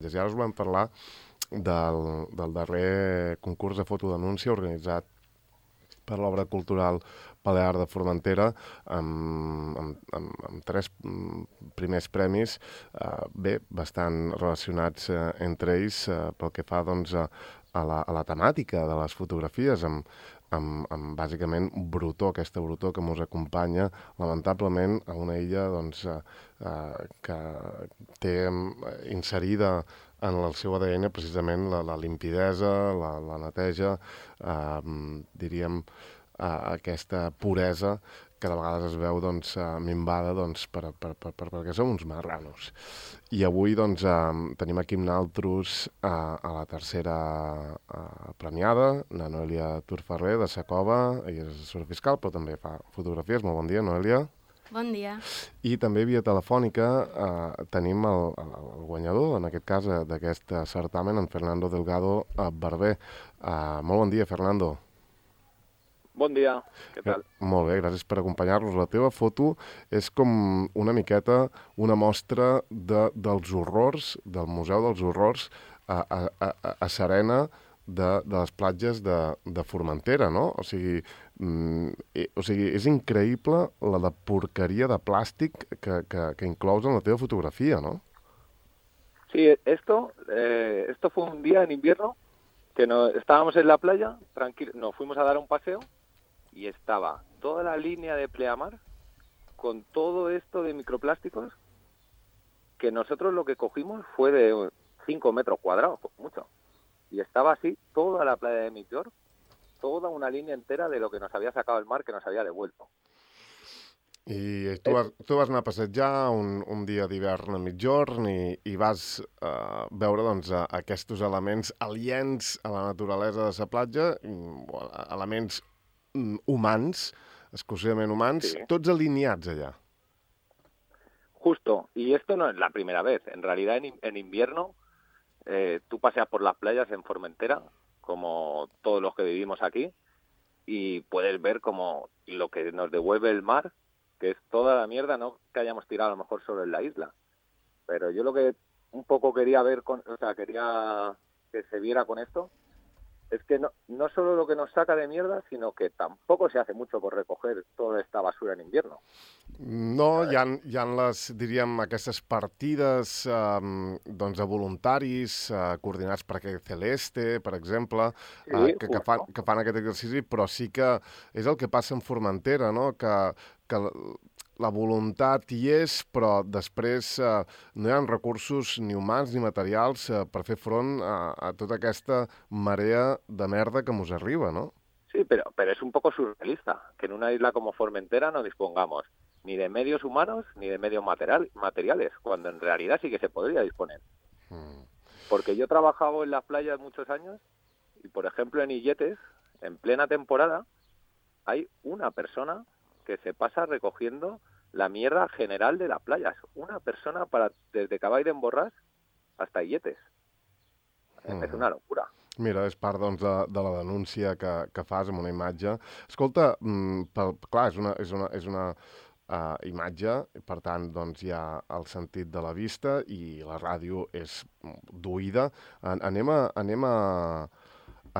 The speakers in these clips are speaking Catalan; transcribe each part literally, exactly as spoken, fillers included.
platges. I ara us volem parlar del, del darrer concurs de fotodenúncia organitzat per l'obra cultural Balear de Formentera, amb, amb, amb, amb tres primers premis, eh, bé, bastant relacionats eh, entre ells eh, pel que fa doncs, a, a, la, a la temàtica de les fotografies, amb, amb, amb bàsicament brutó, aquesta brutó que ens acompanya, lamentablement, a una illa doncs, eh, eh, que té inserida en el seu A D N precisament la, la limpidesa, la, la neteja, eh, diríem, eh, aquesta puresa que de vegades es veu doncs, eh, minvada doncs, per, per, per, per, perquè som uns marranos. I avui doncs, eh, tenim aquí amb naltros eh, a la tercera eh, premiada, la Noelia Turferrer, de Sa Cova, ella és assessora fiscal, però també fa fotografies. Molt bon dia, Noelia. Bon dia. I també via telefònica eh, tenim el, el, el guanyador, en aquest cas, d'aquest certamen, en Fernando Delgado eh, Barber. Eh, molt bon dia, Fernando. Bon dia, què tal? Molt bé, gràcies per acompanyar-nos. La teva foto és com una miqueta una mostra de, dels horrors, del Museu dels Horrors a, a, a, a Serena, de, de les platges de, de Formentera, no? O sigui, mm, o sigui, és increïble la de porqueria de plàstic que, que, que inclous en la teva fotografia, ¿no? Sí, esto, eh, esto fue un día en invierno que no, estábamos en la playa, tranquilo, nos fuimos a dar un paseo y estaba toda la línea de pleamar con todo esto de microplásticos que nosotros lo que cogimos fue de cinco metros cuadrados, mucho. Y estaba así toda la playa de Migjorn, toda una línea entera de lo que nos había sacado el mar, que nos había devuelto. I tu vas, tu vas anar a passejar un, un dia d'hivern a Migjorn i, i vas uh, veure doncs, aquests elements aliens a la naturalesa de la platja, elements um, humans, exclusivament humans, sí. Tots alineats allà. Justo, y esto no es la primera vez. En realidad en, en invierno Eh, tú paseas por las playas en Formentera, como todos los que vivimos aquí, y puedes ver como lo que nos devuelve el mar, que es toda la mierda, no que hayamos tirado a lo mejor solo en la isla. Pero yo lo que un poco quería ver, con, o sea, quería que se viera con esto, es que no, no solo lo que nos saca de mierda, sino que tampoco se hace mucho por recoger toda esta basura en invierno. No, hi ha, hi ha les, diríem, aquestes partides um, doncs de voluntaris uh, coordinats per aquest Celeste, per exemple, sí, uh, que, que, fan, que fan aquest exercici, però sí que és el que passa en Formentera, no? Que, que la voluntat hi és, però després eh, no hi ha recursos ni humans ni materials eh, per fer front a, a tota aquesta marea de merda que ens arriba, ¿no? Sí, pero, pero es un poco surrealista que en una isla como Formentera no dispongamos ni de medios humanos ni de medios material, materiales, cuando en realidad sí que se podría disponer. Hmm. Porque yo he trabajado en las playas muchos años y, por ejemplo, en Illetes, en plena temporada, hay una persona que se pasa recogiendo la mierda general de las playas. Una persona para desde Cavall d'en Borràs hasta Illetes. Mm. És una locura. Mira, és part doncs, de, de la denúncia que, que fas amb una imatge. Escolta, mm, per, clar, és una, és una, és una uh, imatge, per tant, doncs, hi ha el sentit de la vista i la ràdio és d'oïda. An anem, a, anem, a,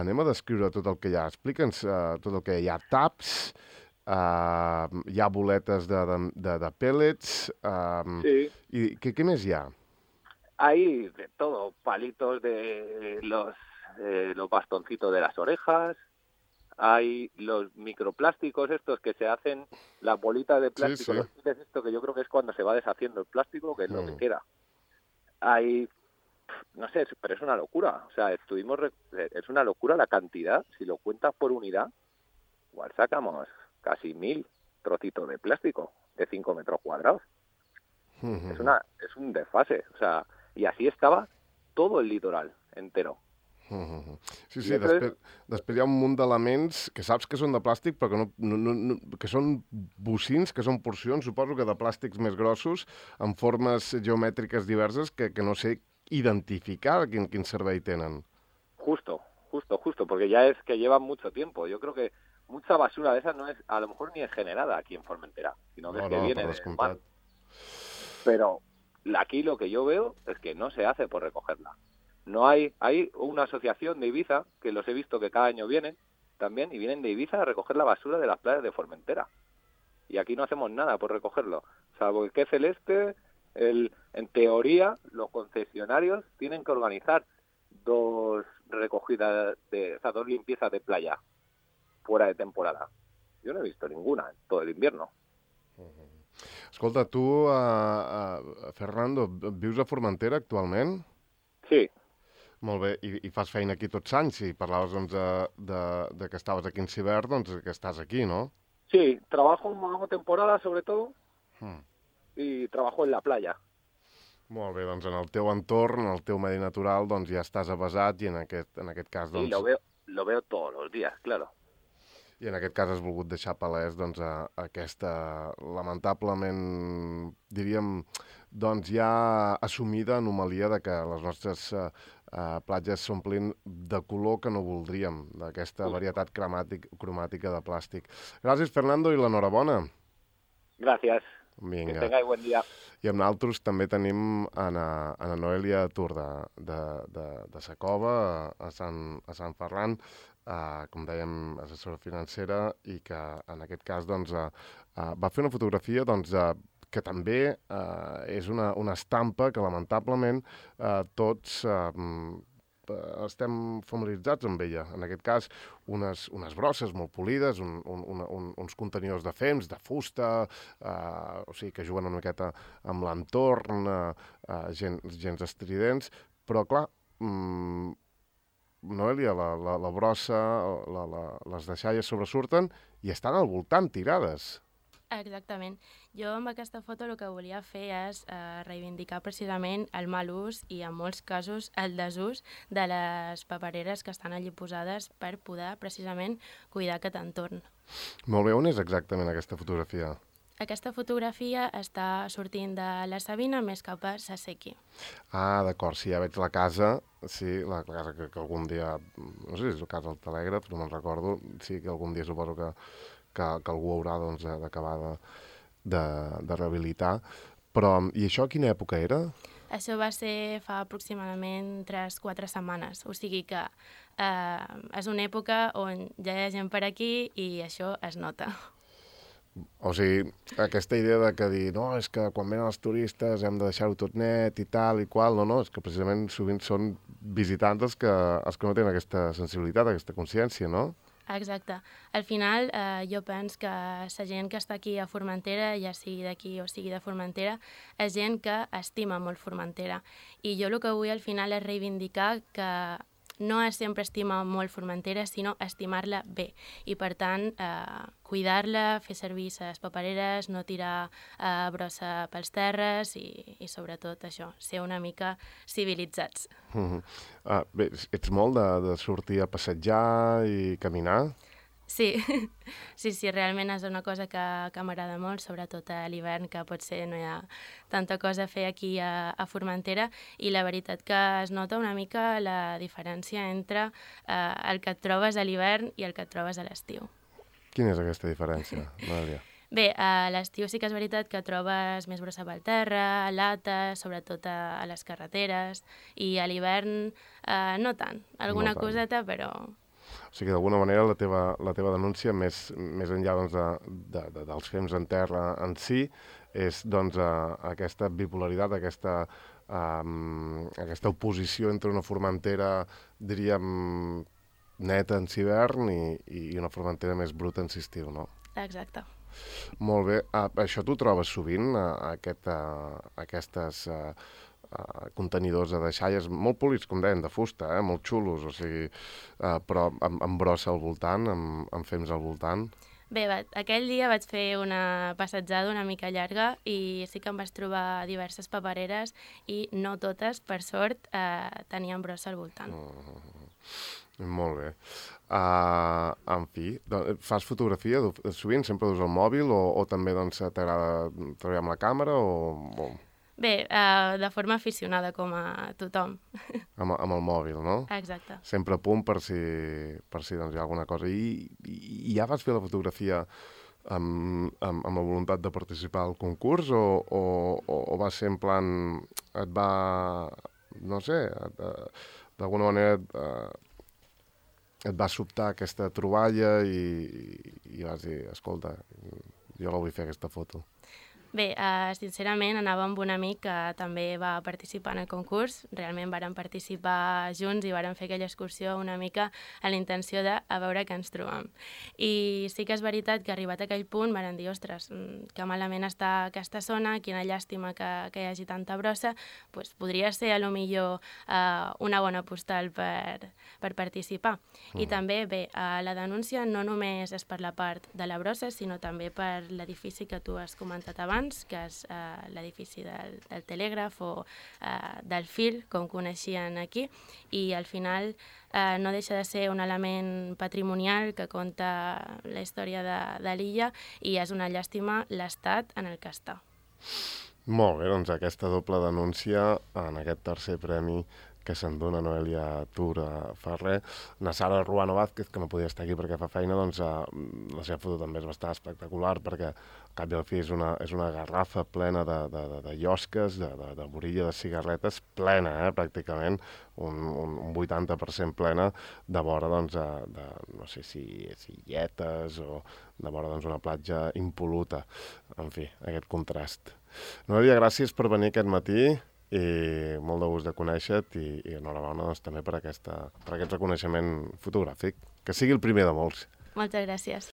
anem a descriure tot el que hi ha. Explica'ns uh, tot el que hi ha. Taps, Uh, hi ha boletes de, de, de, de pellets. Um, sí. ¿Y qué, qué més hi ha? Hay de todo, palitos de los, eh, los bastoncitos de las orejas, hay los microplásticos estos que se hacen, las bolitas de plástico, sí, sí. Los esto que yo creo que es cuando se va deshaciendo el plástico, que es mm. lo que queda. Hay, no sé, pero es una locura. O sea, estuvimos, es una locura la cantidad, si lo cuentas por unidad, igual sacamos casi mil trocitos de plástico de cinco metros cuadrados. Uh-huh. Es una es un desfase, o sea, y así estaba todo el litoral entero. Uh-huh. Sí, sí, després, després hi ha un munt d'elements que saps que són de plàstic, però que, no, no, no, que són bocins, que són porcions, suposo que de plàstics més grossos, amb formes geomètriques diverses que, que no sé identificar quin, quin servei tenen. Justo, justo, justo, porque ya es que llevan mucho tiempo. Yo creo que mucha basura de esas no es, a lo mejor ni es generada aquí en Formentera, sino que, no, es que no, viene del mar. Pero aquí lo que yo veo es que no se hace por recogerla. No hay, hay una asociación de Ibiza, que los he visto que cada año vienen también, y vienen de Ibiza a recoger la basura de las playas de Formentera. Y aquí no hacemos nada por recogerlo, salvo el que celeste, el, en teoría, los concesionarios tienen que organizar dos recogidas, de, o sea, dos limpiezas de playa fuera de temporada. Yo no he visto ninguna en todo el invierno. Escolta, tu, uh, uh, Fernando, vius a Formentera actualment? Sí. Molt bé, I, i fas feina aquí tots anys, i parlaves doncs, de, de, de que estaves aquí en Cibert, doncs que estàs aquí, ¿no? Sí, trabajo, hago temporada sobre todo, hmm. y trabajo en la playa. Molt bé, doncs en el teu entorn, en el teu medi natural, doncs ja estàs avasat i en aquest, en aquest cas, doncs... Sí, lo veo, lo veo todos los días, claro. I en aquest cas has volgut deixar palès doncs, a, a aquesta, lamentablement, diríem, doncs ja assumida anomalia de que les nostres uh, uh, platges s'omplin de color que no voldríem, d'aquesta varietat cromàtic, cromàtica de plàstic. Gràcies, Fernando, i l'enhorabona. Gràcies. Vinga. Que tengáis buen dia. I amb nosaltres també tenim Anna, Anna Noelia Tur de, de, de, de Sa Cova, a Sant, a Sant Ferran, uh, com dèiem, assessora financera, i que en aquest cas doncs, uh, uh, va fer una fotografia doncs, uh, que també uh, és una, una estampa que lamentablement uh, tots uh, estem familiaritzats amb ella. En aquest cas, unes, unes brosses molt polides, un, un, un, uns contenidors de fems, de fusta, eh, o sigui, que juguen una miqueta amb l'entorn, eh, eh, gens, gens estridents, però clar, mmm, Noelia, la, la, la brossa, la, la, les deixalles sobresurten i estan al voltant tirades. Exactament. Jo amb aquesta foto el que volia fer és eh, reivindicar precisament el mal ús i en molts casos el desús de les papereres que estan allí posades per poder precisament cuidar aquest entorn. Molt bé, on és exactament aquesta fotografia? Aquesta fotografia està sortint de la Sabina més cap a Sasequi. Ah, d'acord, sí, ja veig la casa, sí, la, la casa que, que algun dia, no sé si és la casa del telègraf, no me'n recordo, sí que algun dia suposo que Que, que algú haurà doncs, d'acabar de, de, de rehabilitar. Però, i això a quina època era? Això va ser fa aproximadament tres o quatre setmanes, o sigui que eh, és una època on ja hi ha gent per aquí i això es nota. O sigui, aquesta idea de que dir, no, és que quan venen els turistes hem de deixar-ho tot net i tal i qual, no, no, és que precisament sovint són visitants els que, els que no tenen aquesta sensibilitat, aquesta consciència, no? Exacte. Al final, eh, jo penso que la gent que està aquí a Formentera, ja sigui d'aquí o sigui de Formentera, és gent que estima molt Formentera. I jo el que vull al final és reivindicar que no és sempre estimar molt Formentera, sinó estimar-la bé. I per tant, eh, cuidar-la, fer servir les papereres, no tirar eh, brossa pels terres i, i sobretot això, ser una mica civilitzats. Uh-huh. Ah, bé, ets molt de, de sortir a passejar i caminar? Sí, sí, sí, realment és una cosa que, que m'agrada molt, sobretot a l'hivern, que potser no hi ha tanta cosa a fer aquí a, a Formentera, i la veritat que es nota una mica la diferència entre eh, el que et trobes a l'hivern i el que et trobes a l'estiu. Quina és aquesta diferència, Noelia? Bé, a l'estiu sí que és veritat que trobes més brossa pel terra, lates, sobretot a, a les carreteres, i a l'hivern eh, no tant, alguna no tant. coseta, però... O sigui, d'alguna manera, la teva, la teva denúncia, més, més enllà doncs, de, de, de, dels fems en terra en si, és doncs, a, aquesta bipolaritat, aquesta, um, aquesta oposició entre una Formentera, diríem, neta en hivern i, i una Formentera més bruta en estiu, no? Exacte. Molt bé. Ah, això t'ho trobes sovint, aquest, uh, aquestes... Uh, Uh, contenidors de deixalles molt polits, com deien, de fusta, eh? Molt xulos, o sigui, uh, però amb, amb brossa al voltant, amb, amb fems al voltant. Bé, va, aquell dia vaig fer una passejada una mica llarga i sí que em vaig trobar diverses papereres i no totes, per sort, eh, tenien brossa al voltant. Mm, molt bé. Uh, en fi, fas fotografia sovint? Sempre dus el mòbil o, o també doncs, t'agrada treballar amb la càmera o... o... Bé, uh, de forma aficionada, com a tothom. Amb, amb el mòbil, no? Exacte. Sempre a punt per si, per si doncs, hi ha alguna cosa. I, i, i ja vas fer la fotografia amb, amb, amb la voluntat de participar al concurs o, o, o, o va ser en plan, et va, no sé, et, d'alguna manera et, et va sobtar aquesta troballa i, i vas dir, escolta, jo la vull fer aquesta foto? Bé, uh, sincerament anava amb un amic que també va participar en el concurs. Realment vàrem participar junts i vàrem fer aquella excursió una mica a la intenció de a veure què ens trobam. I sí que és veritat que arribat a aquell punt vàrem dir, ostres, que malament està aquesta zona, quina llàstima que, que hi hagi tanta brossa, pues podria ser a lo millor uh, una bona postal per, per participar. Mm. I també, bé, uh, la denúncia no només és per la part de la brossa, sinó també per l'edifici que tu has comentat abans, que és uh, l'edifici del, del telègraf o uh, del fil, com coneixien aquí, i al final uh, no deixa de ser un element patrimonial que conta la història de, de l'illa i és una llàstima l'estat en el que està. Molt bé, doncs aquesta doble denúncia en aquest tercer premi que se'n dona Noelia Tura Ferrer. Na Sara Ruano Vázquez, que no podia estar aquí perquè fa feina, doncs eh, la seva foto també és bastant espectacular perquè al cap i al fi és una, és una garrafa plena de, de, de, de llosques, de, de, de borilla de cigarretes, plena, eh, pràcticament, un, un, un vuitanta per cent plena, de vora, doncs, de, de no sé si, si lletes o de vora, doncs, una platja impol·luta. En fi, aquest contrast. Noelia, gràcies per venir aquest matí i molt de gust de conèixer-te i, i enhorabona doncs, també per, aquesta, per aquest reconeixement fotogràfic. Que sigui el primer de molts. Moltes gràcies.